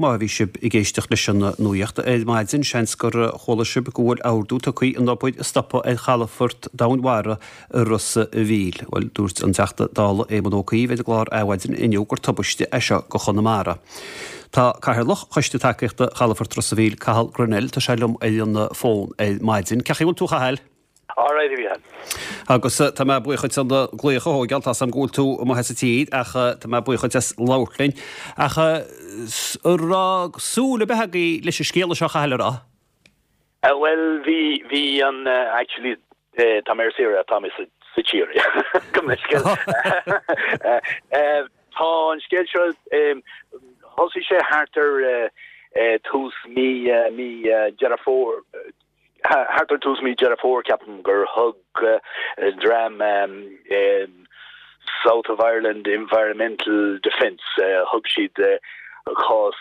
Má bhí sibh ag éisteacht leis an nuaíocht ar maidin, seans gur chuala sibh go bhfuil ordú tugtha an obair a stopadh ar chalafort domhainmhara i Ros a' Mhíl. Bhuel, dúirt an Teachta Dála Éamon Ó Cuív ar an gclár Adhmhaidin inniu gur tubaiste é seo go Chonamara. Tá Cathaoirleach Choiste Tacaíochta Chalafort Ros a' Mhíl, Cathal Grennell, tá sé liom ar an bhfón ar maidin. Cén chaoi a bhfuil tú, a Chathail? All right, a Mhícheáil. Agus tá mé buíoch duit an glaoch a thógáil, tá 's a'm go bhfuil tú amuigh as an tír ach tá mé buíoch duit as labhairt linn. Ach an raibh súil ar bith agaibh leis an scéala seo, a Chathail, an raibh? Bhuel, bhí, bhí an, actually, tá mé ar saoire, tá mé sa, sa tír, gabh mo leithscéal. Tá an scéal seo, thosaigh sé thart ar tús mí, mí Deireadh Fómhair, Thart ar tús mí Deireadh Fómhair, ceapaim, gur thug dream South of Ireland Environmental Defence, thug siad cás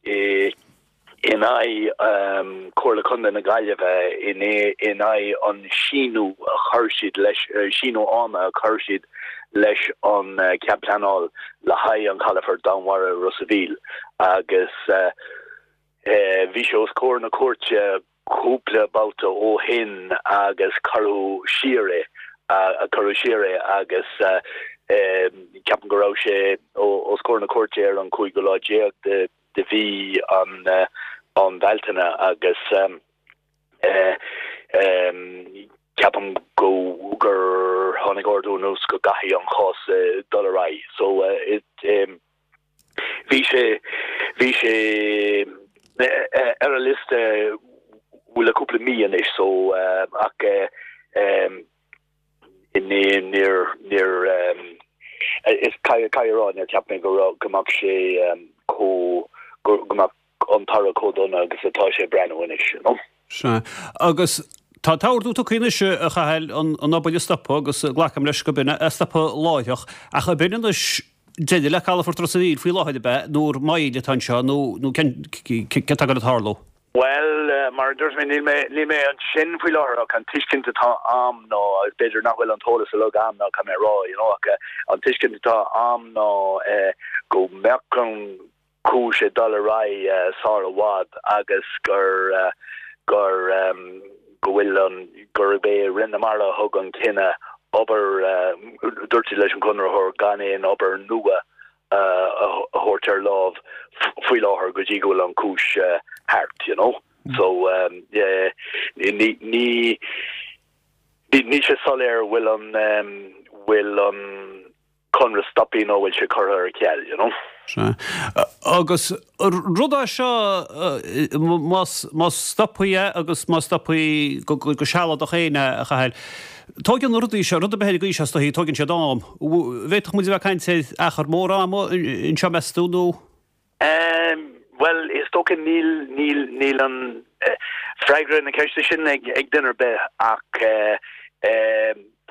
in aghaidh Comhairle Contae na Gaillimhe, in aghaidh an síniú a chuir siad leis, síniú ama a chuir siad leis an cead pleanáil le haghaidh an chalafort domhainmhara i Ros a' Mhíl agus Bhí sé os comhair na cúirte cúpla babhta ó shin agus cuireadh siar é, cuireadh siar é agus ceapaim go raibh sé os comhair na cúirte ar an cúigiú lá déag de mhí an Bhealtaine agus ceapaim go gur tháinig ordú anuas go gcaithfidh an chás dul ar aghaidh. So it. Bhí sé, bhí sé ar an liosta le cúpla mí anois so ach ní, níor, níor, is caithfidh a rá níor cheap mé go raibh, go mbeadh sé chomh, go mbeadh an toradh chomh dona agus atá sé ag breathnú anois, you know. Sea. Agus tá an t-ordú tugtha anois, a Chathail, an obair a stopadh agus glacaim leis go b'in é a stopadh láithreach. Ach ab in anois deireadh le calafort Ros a' Mhíl faoi láthair, ab ea, nó ar moill atá anseo nó nó cén céard atá ag dul a tharlú? Bhuel, mar a dúirt mé, níl mé níl mé ansin faoi láthair ach an tuiscint atá a'm ná, agus b'fhéidir nach bhfuil an t-eolas uilig a'm ná caithfidh mé a rá, you know, ach an tuiscint atá a'm ná go mbeadh an cúis ag dul ar aghaidh sár i bhfad agus gur gur go bhfuil an gurb é Roinn na Mara a thug an cinneadh obair dúirt siad leis an gconraitheoir gan aon obair nua a thabhairt ar láimh faoi láthair go dtí go bhfuil an cúis thart you know so ní ní níl sé soiléir bhfuil an bhfuil an conradh stoptha nó bhfuil sé curtha ar ceal, you know. Sea. Agus rud é seo, más, más stoptha é agus má stoptha go, go sealadach féin é, a Chathail, tóigeann na rudaí seo, rud ar bith ar an gcaoi seo is dóichí, tóigeann siad am. Bhféadfadh muid a bheith ag caint ar achar mór ama anseo, meas tú, nó? Bhuel, is dócha níl, níl, níl an freagra na ceiste sin ag, ag duine ar bith ach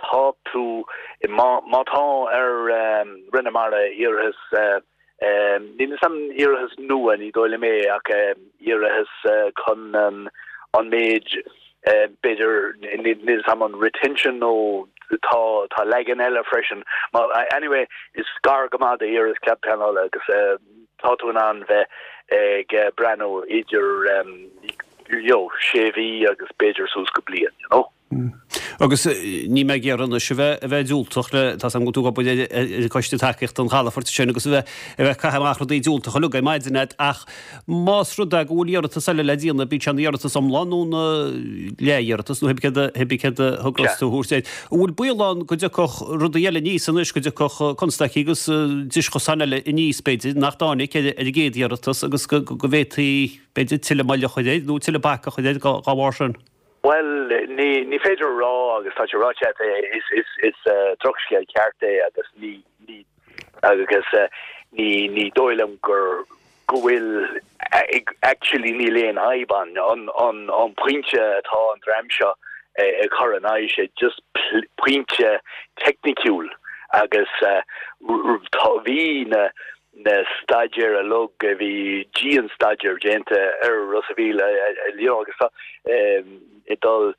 tá tú, má, má tá ar Roinn na Mara iarratas, níl 'fhios a'm iarratas nua, ní dóigh liom é ach iarratas chun an, an méid, b'fhéidir, níl 'fhios a'm an retention nó tá, tá leagan eile freisin. Anyway, is gar go maith d'iarratas cead pleanála agus tá tú in ann bheith ag breathnú idir you know sé mhí agus b'fhéidir suas go bliain, you know. Agus níl mé ag iarraidh anois a bheith a bheith diúltach le, tá 's agam go bhfuil tú ag obair ar ar an gcoiste tacaíochta don chalafoirt sin agus a bheith a bheith ag caitheamh amach rudaí diúltacha uilig ar maidin a'd ach más rud é go bhfuil iarratas eile le déanamh bíodh sé ina iarratas iomlán nó ina leath-iarratas nó cibé céard a cibé céard a thograíos tú a thabhairt air. An bhfuil baol ann go dtiocfadh rudaí eile aníos anois, go dtiocfadh constaicí agus deischosáin eile aníos b'fhéidir nach dtáinig ar an gcéad iarratas agus go go bhféadfaí b'fhéidir tuilleadh moille a chur air nó tuilleadh bac a chur air dá bharr sin? Bhuel, ní, ní féidir a rá agus tá sé ráite agat, is, is, is drochscéal ceart é agus ní, ní, agus ní, ní dóigh liom gur, go bhfuil, actually níl aon fhadhb ann. An, an, an pointe atá an dream seo ag cur in aghaidh sé just pointe teicniciúil agus tá, bhí na, na staidéir uilig, bhí dian-staidéar déanta ar Ros a' Mhíl you know agus tá ag dul,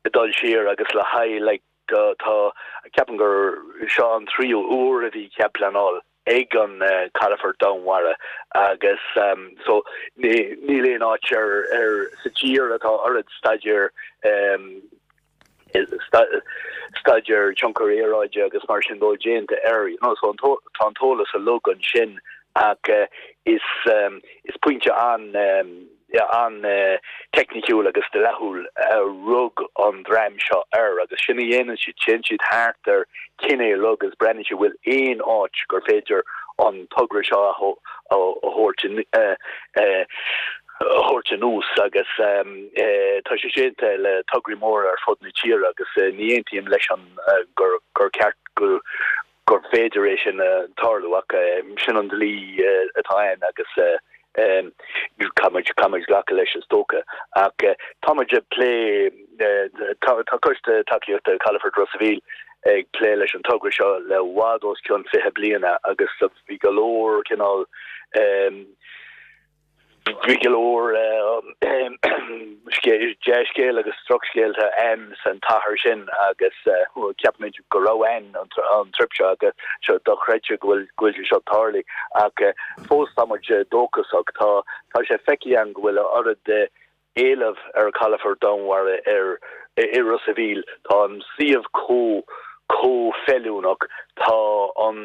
ag dul siar agus le haghaidh like tá, ceapaim gur seo an tríú uair a bhí cead pleanáil. ag an Calafort Domhainmhara agus so níl aon áit ar ar sa tír atá oiread staidéar staidéar tionchar aeráide agus mar sin dó déanta air you know so tá an t-eolas uilig ansin ach is is pointe an an-teicniciúil agus dleathúil a rug an dream seo air agus sin a dhéanann siad, téann siad thart ar cinneadh uilig agus breathnaíonn siad bhfuil aon áit gur féidir an togra seo a thabhairt a thabhairt anuas agus tá sé déanta le tograí móra ar fud na tíre agus ní aontaím leis an gur gur ceart go gur féidir é sin a tarlú ach sin an dlí atá ann agus caithfidh muid caithfidh muid glacadh leis is dócha. Ach tá muid ag plé tá Coiste Tacaíochta Chalafort Ros a' Mhíl ag plé leis an togra seo le i bhfad os cionn 20 bliana agus bhí go leor cineál Bhí go leor dea-scéal agus drochscéalta ann san t-achar sin agus ceapaimid go raibh ann an trip seo agus seo dochreidte go bhfuil go bhfuil sé seo tarlaithe ach fós tá muid dóchasach. Tá tá sé feicthe againn go bhfuil a oiread éileamh ar chalafort domhainmhara ar i Ros a' Mhíl. Tá an suíomh chomh chomh feiliúnach. Tá an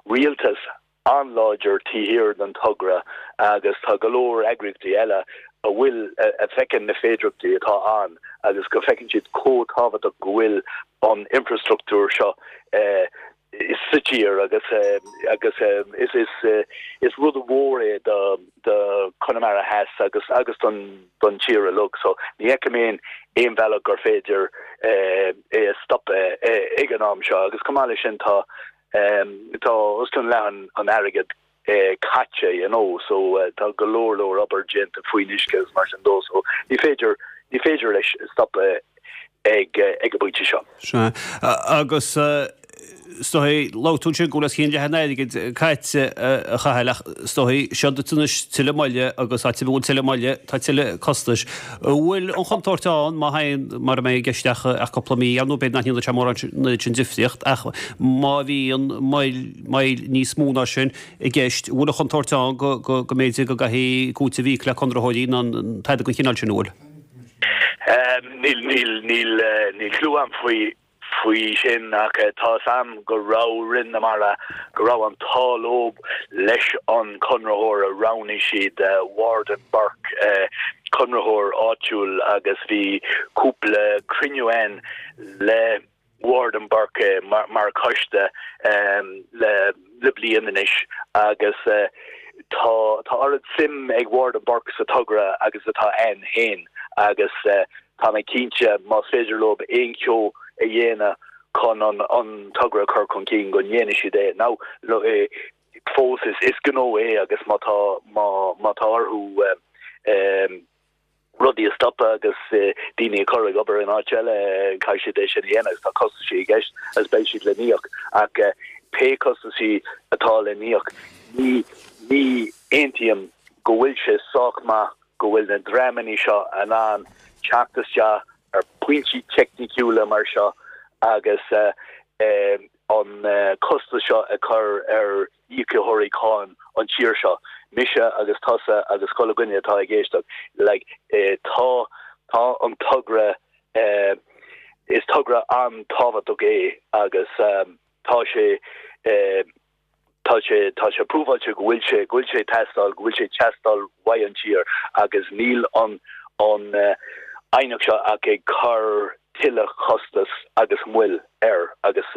rialtas an-láidir taobh thiar den togra agus tá go leor eagraíochtaí eile a bhfuil, a feiceann na féidireachtaí atá ann agus go bhfeiceann siad chomh tábhachtach go bhfuil an infreastruchtúr seo sa tír agus agus is is is rud mhór é do do Chonamara Theas agus agus don don tír uilig so ní fheicim aon aon bhealach gur féidir é a stopadh ag an am seo agus chomh maith leis sin tá Tá os cionn leath an airgid caite, you know, so tá go leor leor obair déanta faoin uisce agus mar sin dó, so ní féidir, ní féidir leis stopadh ag ag an bpointe seo. Sea. Agus is dóigh, labhair tú ansin go bhfuil os cionn leath an airgid caite, a Chathail, ach is dóigh, seo duit anois tuilleadh moille agus áit a bhfuil tuilleadh moille, tá tuilleadh costais. An bhfuil an chontúirt ann, má théann, mura mbeidh i gceist ach cúpla mí, ar ndóigh b'fhéidir nach ndéanfaidh sé mórán sin difríocht, ach má bhíonn moill, moill níos mó ná sin i gceist, an bhfuil an chontúirt ann go, go, go mb'fhéidir go gcaithfí cúiteamh a íoc le conraitheoirí nó tada den chineál sin, an bhfuil? Níl, níl, níl, níl clue a'm faoi. faoi sin ach tá 'fhios a'm go raibh Roinn na Mara, go raibh an t-ádh leo leis an conraitheoir a roghnaigh siad, Ward and Burke, conraitheoir áitiúil agus bhí cúpla cruinniú ann le Ward and Burke mar choiste le le bliain anois agus tá tá oiread suim ag Ward and Burke sa togra agus atá ann féin agus Tá mé cinnte, más féidir leo aon cheo a dhéanamh chun an togra a chur chun cinn, go ndéanfaidh siad é. Now, fós is gnó é agus má tá, má tá orthu rudaí a stopadh agus daoine a chur ag obair in áit eile, caithfidh siad é sin a dhéanamh agus tá costaisí i gceist agus beidh siad le n-íoc. Ach pé costaisí atá le n-íoc, ní, ní aontaím go bhfuil sé sách maith go bhfuil na dreamanna seo in ann teacht isteach ar phointí teicniciúla mar seo agus an costas seo a chur ar íocaitheoirí cáin an tír seo, mise agus tusa agus chuile dhuine atá ag éisteacht. Like, tá, tá an togra, is togra an-tábhachtach é agus tá sé, Tá sé, tá sé prúfáilte go bhfuil sé, go bhfuil sé ag teastáil, go bhfuil sé ag teastáil uaidh an tír agus níl an, an aighneacht seo ach ag cur tuilleadh costas agus moill air agus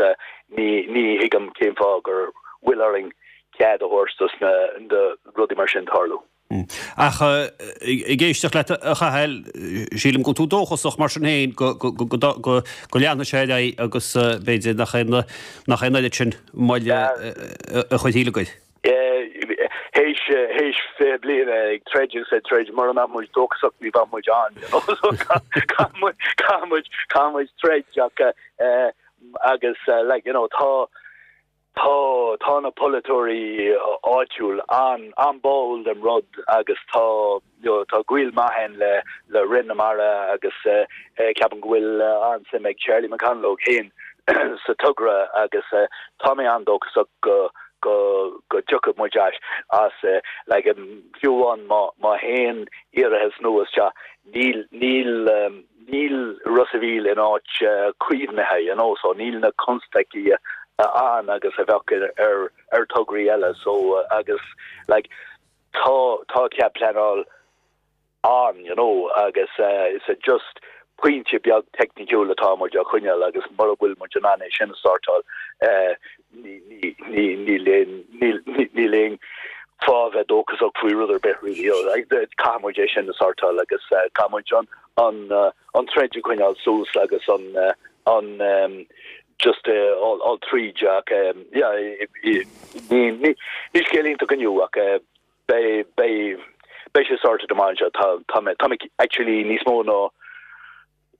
ní, ní thuigim cén fáth gur bhfuil orainn cead a thabhairt dos na, do rudaí mar sin tarlú. Ach ag éisteacht leat, a Chathail, sílim go bhfuil tú dóchasach mar sin féin go leanfaidh sé ar aghaidh agus b'fhéidir nach é an oiread sin moille a chuirfidh le goir. Théis 20 bliain ag troid agus ag troid, mura mbeadh muid dóchasach ní bheadh muid ann. Caithfidh muid, caithfidh muid troid ach agus like you know tá Tá, tá na polaiteoirí áitiúil an-an-báúil den rud agus tá, you know, tá gaol maith againn le, le Roinn na Mara agus ceapaim go bhfuil an-suim ag Charlie McConalogue féin sa togra agus tá mé an-dóchasach go. go go dtiocfaidh muid as as like fiú amháin má má théann iarratas nua isteach níl níl níl Ros a' Mhíl in áit caomhnaithe you know so níl na constaicí ann agus a bheadh ar ar tograí eile so agus like tá tá cead pleanáil ann, you know, agus is just pointe beag teicniciúil atá muid á choinneáil agus mura bhfuil muid in ann é sin a shórtáil, ní, ní, níl aon, níl, níl aon fáth a bheith dóchasach faoi rud ar bith really, you know, like, caithfidh muid é sin a shórtáil agus caithfidh muid an, an, an troid a choinneáil suas agus an, an, just all tríd ach, yeah, ní, ní, ní scéal iontach inniu ach Beidh, beidh, beidh sé sorted amach anseo. Tá, tá mé, tá mé actually níos mó ná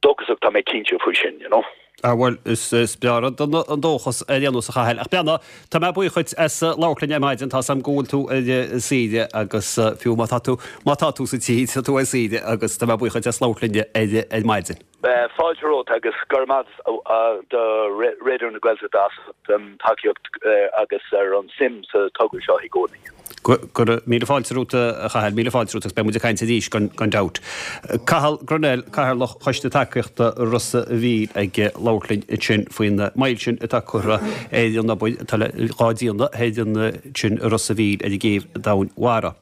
dóchasach, tá mé cinnte faoi sin, you know. Ah bhuel, is, is breá rud an, an dóchas ar aon nós a Chathail. Ach breathnaigh, tá mé buíoch dhuit as labhairt linn ar maidin, tá 's a'm go bhfuil tú ar saoire agus fiú má tá tú, má tá tú sa tír, tá tú ar saoire agus tá mé buíoch dhuit as labhairt linn ar, ar maidin. Fáilte romhat agus go raibh maith do Raidió na Gaeltachta as an tacaíocht agus ar an suim sa togra seo i gcónaí. Go raibh míle fáilte romhat a Chathail, míle fáilte romhat agus beidh muid ag caint arís gan dabht. Cathal Grennell, Cathaoirleach Choiste Tacaíochta Ros a' Mhíl ag labhairt linn ansin faoin moill sin atá curtha ar an obair atá le dhá déanamh ar an sin i Ros a' Mhíl ar an gcéibh domhainmhara.